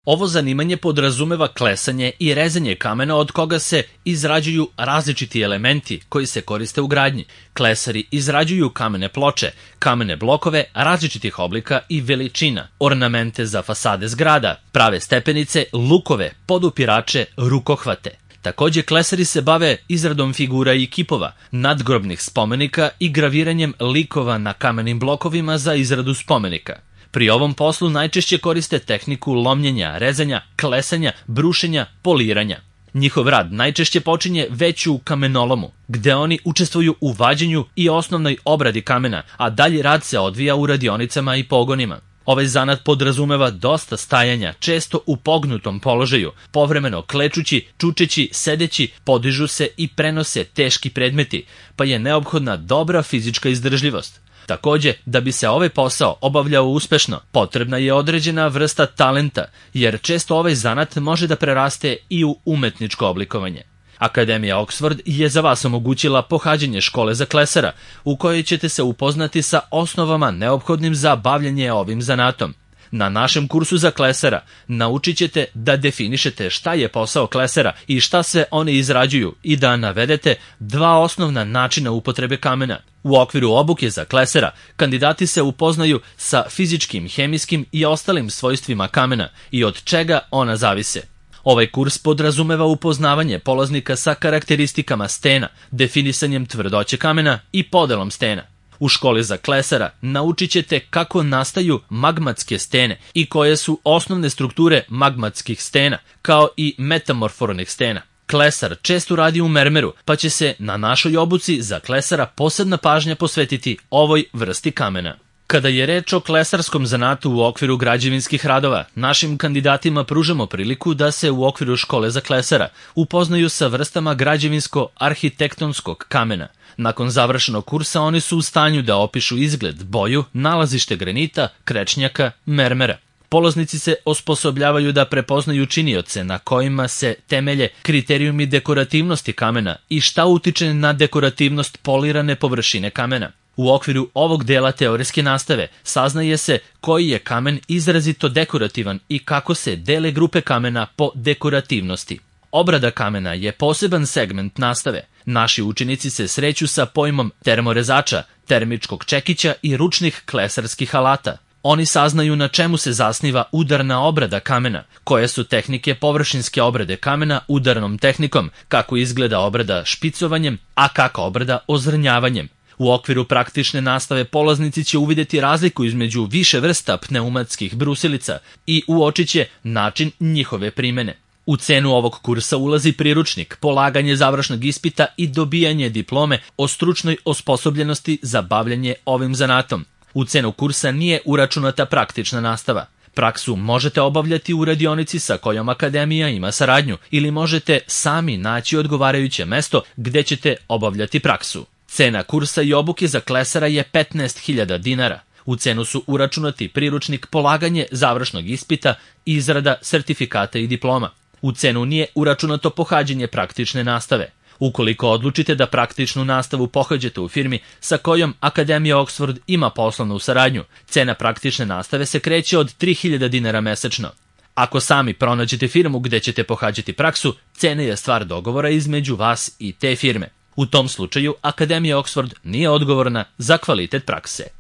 Ovo zanimanje podrazumeva klesanje i rezanje kamena od koga se izrađuju različiti elementi koji se koriste u gradnji. Klesari izrađuju kamene ploče, kamene blokove različitih oblika i veličina, ornamente za fasade zgrada, prave stepenice, lukove, podupirače, rukohvate. Takođe, klesari se bave izradom figura i kipova, nadgrobnih spomenika i graviranjem likova na kamenim blokovima za izradu spomenika. Pri ovom poslu najčešće koriste tehniku lomljenja, rezanja, klesanja, brušenja, poliranja. Njihov rad najčešće počinje već u kamenolomu, gde oni učestvuju u vađenju i osnovnoj obradi kamena, a dalji rad se odvija u radionicama i pogonima. Ovaj zanat podrazumeva dosta stajanja, često u pognutom položaju, povremeno klečući, čučeći, sedeći, podižu se i prenose teški predmeti, pa je neophodna dobra fizička izdržljivost. Takođe, da bi se ovaj posao obavljao uspešno, potrebna je određena vrsta talenta, jer često ovaj zanat može da preraste i u umetničko oblikovanje. Akademija Oxford je za vas omogućila pohađanje škole za klesara, u kojoj ćete se upoznati sa osnovama neophodnim za bavljanje ovim zanatom. Na našem kursu za klesara naučit ćete da definišete šta je posao klesara i šta se oni izrađuju i da navedete dva osnovna načina upotrebe kamena. U okviru obuke za klesara kandidati se upoznaju sa fizičkim, hemijskim i ostalim svojstvima kamena i od čega ona zavise. Ovaj kurs podrazumeva upoznavanje polaznika sa karakteristikama stena, definisanjem tvrdoće kamena i podelom stena. U školi za klesara naučit ćete kako nastaju magmatske stene i koje su osnovne strukture magmatskih stena, kao i metamorfornih stena. Klesar često radi u mermeru, pa će se na našoj obuci za klesara posebna pažnja posvetiti ovoj vrsti kamena. Kada je reč o klesarskom zanatu u okviru građevinskih radova, našim kandidatima pružamo priliku da se u okviru škole za klesara upoznaju sa vrstama građevinsko-arhitektonskog kamena. Nakon završenog kursa oni su u stanju da opišu izgled, boju, nalazište granita, krečnjaka, mermera. Polaznici se osposobljavaju da prepoznaju činioce na kojima se temelje kriterijumi dekorativnosti kamena i šta utiče na dekorativnost polirane površine kamena. U okviru ovog dela teorijske nastave saznaje se koji je kamen izrazito dekorativan i kako se dele grupe kamena po dekorativnosti. Obrada kamena je poseban segment nastave. Naši učenici se sreću sa pojmom termorezača, termičkog čekića i ručnih klesarskih alata. Oni saznaju na čemu se zasniva udarna obrada kamena, koje su tehnike površinske obrade kamena udarnom tehnikom, kako izgleda obrada špicovanjem, a kako obrada ozrnjavanjem. U okviru praktične nastave polaznici će uvidjeti razliku između više vrsta pneumatskih brusilica i uočit će način njihove primene. U cenu ovog kursa ulazi priručnik, polaganje završnog ispita i dobijanje diplome o stručnoj osposobljenosti za bavljanje ovim zanatom. U cenu kursa nije uračunata praktična nastava. Praksu možete obavljati u radionici sa kojom akademija ima saradnju ili možete sami naći odgovarajuće mesto gde ćete obavljati praksu. Cena kursa i obuke za klesara je 15.000 dinara. U cenu su uračunati priručnik, polaganje završnog ispita, izrada sertifikata i diploma. U cenu nije uračunato pohađanje praktične nastave. Ukoliko odlučite da praktičnu nastavu pohađate u firmi sa kojom Akademija Oxford ima poslovnu saradnju, cena praktične nastave se kreće od 3.000 dinara mesečno. Ako sami pronađete firmu gde ćete pohađati praksu, cena je stvar dogovora između vas i te firme. U tom slučaju Akademija Oxford nije odgovorna za kvalitet prakse.